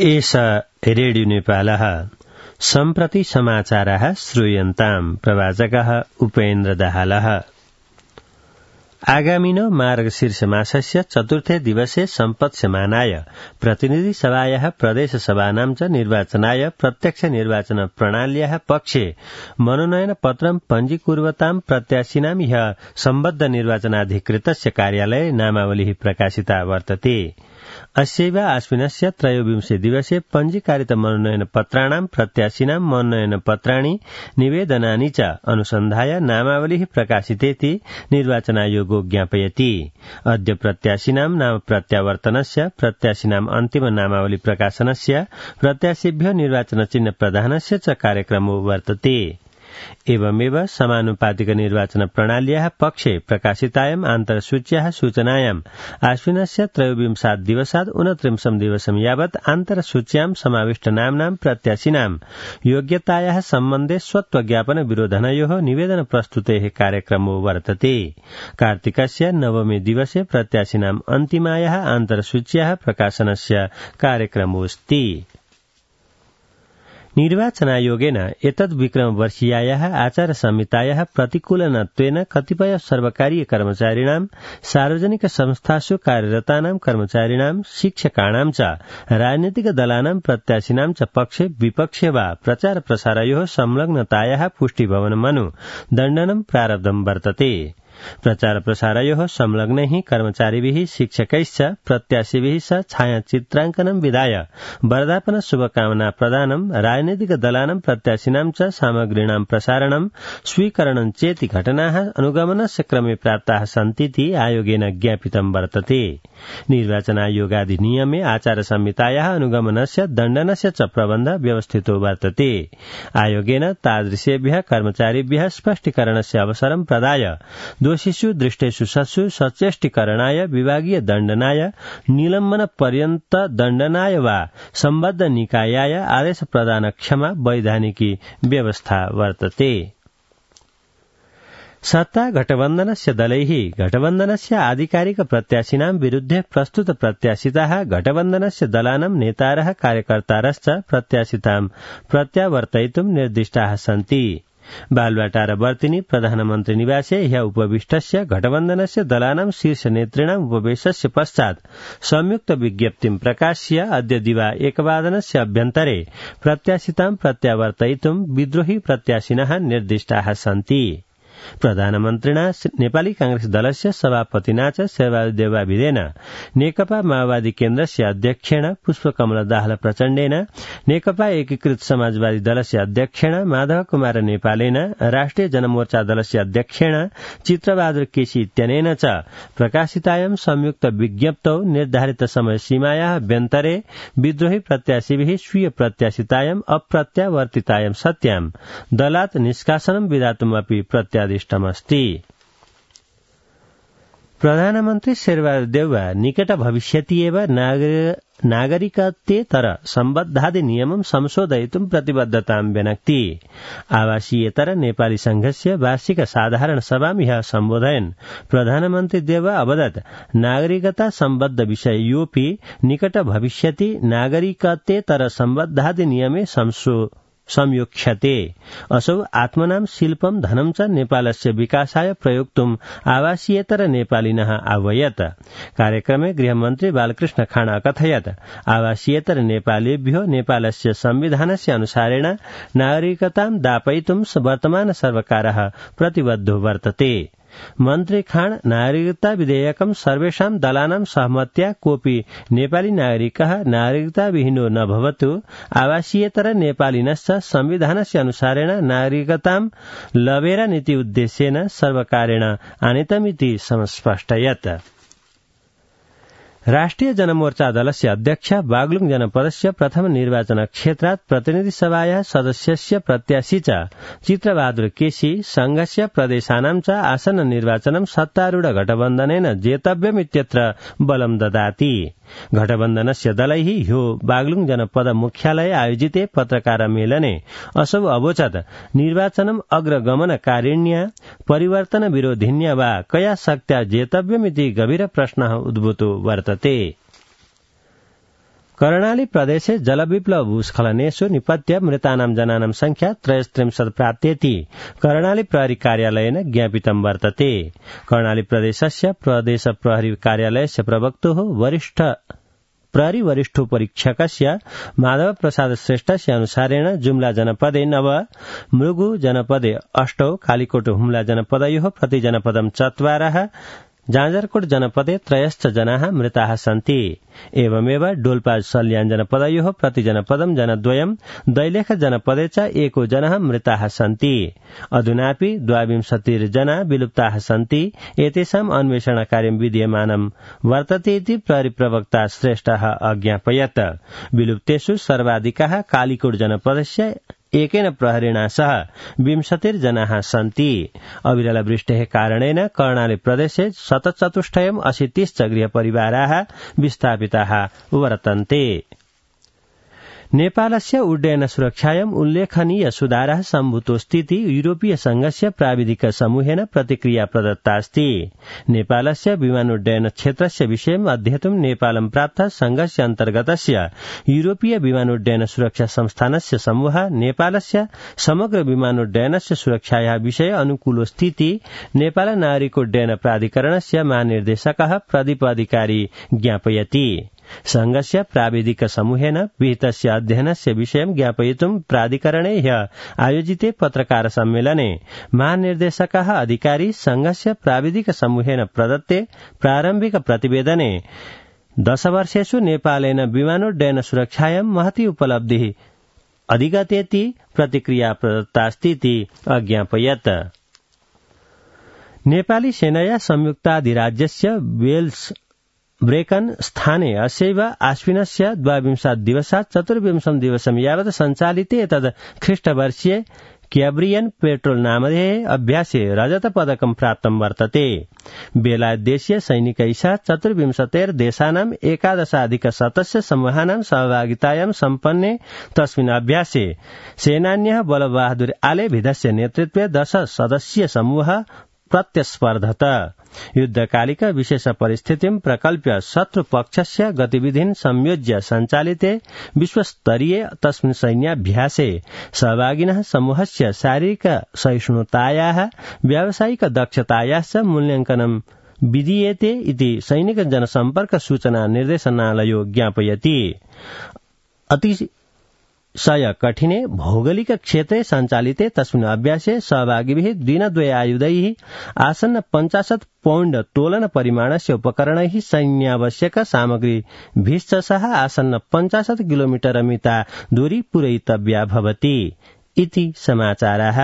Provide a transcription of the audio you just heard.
एष रेडियो नेपालः सम्प्रति समाचारः श्रूयन्ताम् प्रवाचकः उपेन्द्र दाहालः। आगामिनो मार्गशीर्ष मासस्य चतुर्थे दिवसे सम्पत्स्यमानाय प्रतिनिधि सभायाः प्रदेश सभानां च निर्वाचनाय प्रत्यक्ष निर्वाचन प्रणाल्याः पक्षे मनोनयन पत्रं पञ्जीकुर्वतां प्रत्याशिनां ह्यः सम्बद्ध निर्वाचनाधिकृतस्य कार्यालये नामावलिः प्रकाशिता वर्तते। अस्यैव आश्विनस्य त्रयोविंशे दिवसे पञ्जीकारित मनोनयन पत्राणां प्रत्याशिनां मनोनयन पत्राणि निवेदनानि च अनुसन्धाय नामावलिः प्रकाशितेति निर्वाचनायोगो ज्ञापयति। अद्य प्रत्याशिनां नाम प्रत्यावर्तनस्य, प्रत्याशिनां अन्तिम नामावली प्रकाशनस्य, प्रत्याशिभ्यो निर्वाचन चिह्न प्रदानस्य च कार्यक्रमो वर्तते। एवमेव समानुपातिक निर्वाचन प्रणाल्याः पक्षे प्रकाशितायाम् आन्तरसूच्याः सूचनायाम् आश्विनस्य त्रयोविंशात् दिवसात् 29 दिवसं यावत् आन्तरसूच्यां समाविष्टनाम्नां प्रत्याशिनां योग्यतायाः सम्बन्धे स्वत्वज्ञापन विरोधनयोः निवेदन प्रस्तुतेः कार्यक्रमो वर्तते। कार्तिकस्य नवमे दिवसे प्रत्याशिनाम् अन्तिमायाः आन्तरसूच्याः प्रकाशनस्य कार्यक्रमोऽस्ति। निर्वाचनायोगेन एतद् विक्रमवर्षीयायाः आचार संहितायाः प्रतिकूलनत्वेन कतिपय सर्वकारीय कर्मचारिणां, सार्वजनिक संस्थासु कार्यरतानां कर्मचारिणां, शिक्षकाणां च राजनीतिक दलानां प्रत्याशिनां च पक्षे विपक्षे वा प्रचार प्रसारयोः संलग्नतायाः पुष्टिभवनमनु दण्डनं प्रारब्धं वर्तते। प्रचार प्रसारयोः संलग्नैः कर्मचारिभिः, शिक्षकैश्च प्रत्याशिभिः स छायाचित्राङ्कनं विधाय वर्धापन शुभकामना प्रदानं, राजनीतिक दलानां प्रत्याशिनां च सामग्रीणां प्रसारणं, स्वीकरणं चेति घटनाः अनुगमनस्य क्रमे प्राप्ताः सन्तीति आयोगेन ज्ञापितं वर्तते। निर्वाचनायोगाधिनियमे आचार संहितायाः अनुगमनस्य दण्डनस्य च प्रबन्ध व्यवस्थितो वर्तते। आयोगेन तादृशेभ्यः कर्मचारिभ्यः स्पष्टीकरणस्य अवसरं प्रदाय दोषिषु दृष्टेषु सत्सु सचेष्टीकरणाय, विभागीय दण्डनाय, निलम्बन पर्यन्त दण्डनाय वा सम्बद्ध निकायाय आदेश प्रदान क्षमा वैधानिकी व्यवस्था वर्तते। सत्ता गठबन्धनस्य दलैः गठबन्धनस्य आधिकारिक प्रत्याशिनां विरुद्धे प्रस्तुत प्रत्याशिताः गठबन्धनस्य दलानां नेतारः कार्यकर्तारश्च प्रत्याशितां प्रत्यावर्तयितुं निर्दिष्टाः सन्ति। बालुवाटार वर्तिनी प्रधानमन्त्री निवासे ह्यः उपविष्टस्य गठबन्धनस्य दलानां शीर्ष नेतॄणाम् उपवेशस्य पश्चात् संयुक्त विज्ञप्तिं प्रकाश्य अद्य दिवा 1 अभ्यन्तरे प्रत्याशितां प्रत्यावर्तयितुं विद्रोही प्रत्याशिनः निर्दिष्टाः सन्ति। प्रधानमन्त्रिणा नेपाली कांग्रेस दलस्य सभापतिना च शेरबहादुर देउवाभिदेन, नेकपा माओवादी केन्द्रस्य अध्यक्षेण पुष्पकमल दाहाल प्रचण्डेन, नेकपा एकीकृत समाजवादी दलस्य अध्यक्षेण माधव कुमार नेपालेन, राष्ट्रिय जनमोर्चा दलस्य अध्यक्षेण चित्रबहादुर केसी इत्यनेन च प्रकाशितायां संयुक्त विज्ञप्तौ निर्धारित समय सीमायाः अभ्यन्तरे विद्रोही प्रत्याशिभिः स्वीय प्रत्याशितायाम् अप्रत्यावर्तितायां सत्यां दलात् निष्कासनं विधातुमपि प्रत्यादिष्टमस्ति। प्रधानमन्त्री शेरबहादुर देउवा निकट भविष्यति एव नागरिकतेतर सम्बद्धाधिनियमं संशोधयितुं प्रतिबद्धतां व्यनक्ति। आवासीयेतर नेपाली संघस्य वार्षिक साधारण सभां ह्यः सम्बोधयन् प्रधानमन्त्री देउवा अवदत् नागरिकता सम्बद्ध विषयोऽपि निकट भविष्यति नागरिकतेतर सम्बद्धाधिनियमे संयोक्ष्यते। असौ आत्मनां शिल्पं धनं च नेपालस्य विकासाय प्रयोक्तुम् आवासीयेतर नेपालिनः आह्वयत्। कार्यक्रमे गृहमन्त्री बालकृष्ण खाँड अकथयत् आवासीयेतर नेपालीभ्यो नेपालस्य संविधानस्य अनुसारेण नागरिकतां दापयितुं वर्तमान सर्वकारः प्रतिबद्धो वर्तते। मन्त्री खाँड नागरिकता विधेयकं सर्वेषां दलानां सहमत्या कोऽपि नेपाली नागरिकः नागरिकताविहीनो न भवतु, आवासीयेतर नेपालिनश्च संविधानस्य अनुसारेण नागरिकतां लभेर नीति उद्देश्येन सर्वकारेण आनीतमिति समस्पष्टयत्। राष्ट्रिय जनमोर्चा दलस्य अध्यक्ष बागलुङ जनपदस्य प्रथम निर्वाचन क्षेत्रात् प्रतिनिधि सभायाः सदस्यस्य प्रत्याशी च चित्रबहादुर केसी संघस्य प्रदेशानां च आसन्न निर्वाचनं सत्तारूढ गठबन्धनेन जेतव्यमित्यत्र बलं ददाति। गठबन्धनस्य दलैः ह्यो बागलुङ जनपद मुख्यालये आयोजिते पत्रकार मेलने असौ अवोचत् निर्वाचनम् अग्रगमनकारिण्या परिवर्तन विरोधिन्या वा कया शक्त्या जेतव्यमिति गभीर प्रश्नः उद्भूतो वर्तते। कर्णाली प्रदेशे जलविप्लव भूस्खलनेषु निपत्य मृतानां जनानां संख्या 33 प्राप्तेति कर्णाली प्रहरी कार्यालयेन ज्ञापितं वर्तते। कर्णाली प्रदेशस्य प्रदेश प्रहरी कार्यालयस्य प्रवक्तुः प्रहरी वरिष्ठोपरीक्षकस्य माधव प्रसाद श्रेष्ठस्य अनुसारेण जुम्ला जनपदे 9, मुलुगु जनपदे 8, कालीकोट हुम्ला जनपदयोः प्रतिजनपदं 4, जाजरकोट जनपदे 3 जनाः मृताः सन्ति। एवमेव डोल्पा सल्यान जनपदयोः प्रतिजनपदं 2, दैलेख जनपदे च 1 जनः मृताः सन्ति। अधुनापि 22 जना विलुप्ताः सन्ति। एतेषाम् अन्वेषणकार्यं विद्यमानं वर्तते इति प्रहरी प्रवक्ता श्रेष्ठः अज्ञापयत्। विलुप्तेषु सर्वाधिकाः कालीकोट जनपदस्य एकेन प्रहरिणा सह 20 जनाः सन्ति। अविरलवृष्टेः कारणेन कर्णाली प्रदेशे 184 च गृहपरिवाराः विस्थापिताः वर्तन्ते। नेपालस्य उड्डयन सुरक्षायाम् उल्लेखनीय सुधारः सम्भूतोऽस्तीति यूरोपीय संघस्य प्राविधिक समूहेन प्रतिक्रिया प्रदत्तास्ति। नेपालस्य विमानोड्डयन क्षेत्रस्य विषयम् अध्येतुं नेपालं प्राप्त संघस्य अन्तर्गतस्य यूरोपीय विमानोड्डयन सुरक्षा संस्थानस्य समूहः नेपालस्य समग्र विमानोड्डयनस्य सुरक्षायाः विषये अनुकूलोऽस्तीति नेपाल नागरिकोड्डयन प्राधिकरणस्य महानिर्देशकः प्रदीप अधिकारी ज्ञापयति। संघस्य प्राविधिक समूहेन विहितस्य अध्ययनस्य विषयं ज्ञापयितुं प्राधिकरणे ह्यः आयोजिते पत्रकार सम्मेलने महानिर्देशकः अधिकारी संघस्य प्राविधिक समूहेन प्रदत्ते प्रारम्भिक प्रतिवेदने 10 वर्षेषु नेपालेन विमानोड्डयन सुरक्षायां महती उपलब्धिः अधिगतेति प्रतिक्रिया प्रदत्तास्तीति अज्ञापयत्। नेपाली सेनया संयुक्ताधिराज्यस्य वेल्स ब्रेकन स्थाने अस्यैव आश्विनस्य 22 दिवसात् 24 दिवसं यावत् सञ्चालिते एतद् ख्रीष्टवर्षीये क्याब्रियन पेट्रोल नामधेये अभ्यासे रजतपदकं प्राप्तं वर्तते। बेलायतदेशीय सैनिकैः सह 24 देशानां 11 सदस्य समूहानां सहभागितायां सम्पन्ने तस्मिन् अभ्यासे सेनान्यः बलबहादुर आलेभिधस्य नेतृत्वे 10 सदस्यीय समूहः प्रत्यस्पर्धत। युद्धकालिक विशेष परिस्थितिं प्रकल्प्य शत्रुपक्षस्य गतिविधिं संयोज्य सञ्चालिते विश्वस्तरीये तस्मिन् सैन्याभ्यासे सहभागिनः समूहस्य शारीरिक सहिष्णुतायाः व्यावसायिक दक्षतायाश्च मूल्याङ्कनं विधीयते इति सैनिक जनसम्पर्क सूचना निर्देशनालयो ज्ञापयति। अतिशय कठिने भौगोलिक क्षेत्रे सञ्चालिते तस्मिन् अभ्यासे सहभागिभिः दिनद्वयायुधैः आसन्न 50 पौण्ड तोलन परिमाणस्य उपकरणैः सैन्यावश्यक सामग्रीभिश्च सह आसन्न 50 किलोमीटर मिता दूरी पूरयितव्या भवति इति समाचारः।